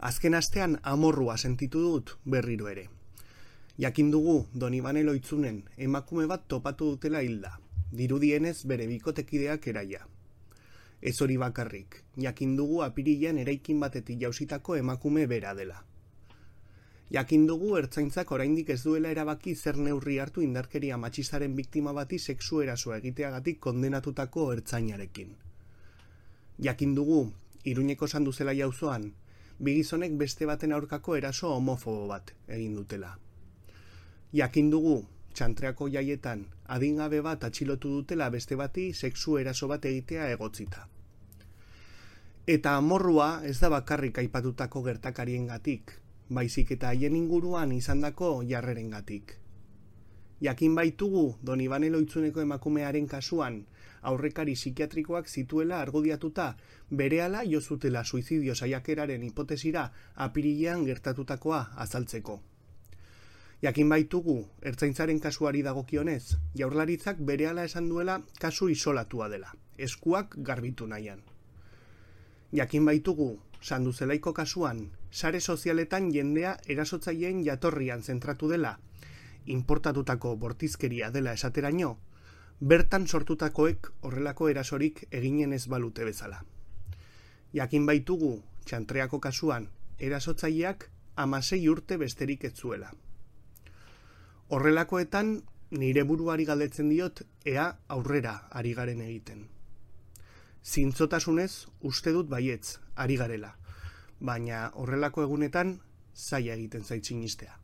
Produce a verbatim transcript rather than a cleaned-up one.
Azken astean amorrua sentitu dut berriro ere. Jakin dugu Donibane Loitzunen emakume bat topatu dutela hilda, dirudienez bere bikotekideak eraia. Ez hori bakarrik, jakin dugu apirilean eraikin batetik jausitako emakume bera dela. Jakin dugu ertzaintzak oraindik ez duela erabaki zer neurri hartu indarkeria matxistaren biktima bati sexu erasoa egiteagatik kondenatutako ertzainarekin. Jakin dugu Iruñeko Sanduzela auzoan bi gizonek beste baten aurkako eraso homofobo bat egin dutela. Jakin dugu Txantreako jaietan adingabe bat atxilotu dutela beste bati sexu eraso bat egitea egotzita. Eta amorrua ez da bakarrik aipatutako gertakariengatik, baizik eta haien inguruan izandako jarrerengatik. Jakin baitugu Donibane Loitzuneko emakumearen kasuan aurrekari psikiatrikoak zituela argudiatuta berehala jo zutela suizidio saiakeraren hipotesira apirilean gertatutakoa azaltzeko. Jakin baitugu ertzaintzaren kasuari dagokionez, Jaurlaritzak berehala esan duela kasu isolatua dela, eskuak garbitu nahian. Jakin baitugu Sanduzelaiko kasuan, sare sozialetan jendea erasotzaileen jatorrian zentratu dela, inportatutako bortizkeria dela esateraino, bertan sortutakoek horrelako erasorik eginen ez balute bezala. Jakin baitugu Txantreako kasuan, erasotzaileak hamasei urte besterik ez zuela. Horrelakoetan nire buruari galdetzen diot ea aurrera ari garen egiten. Zintzotasunez uste dut baietz ari garela, baina horrelako egunetan zaila egiten zait sinistea.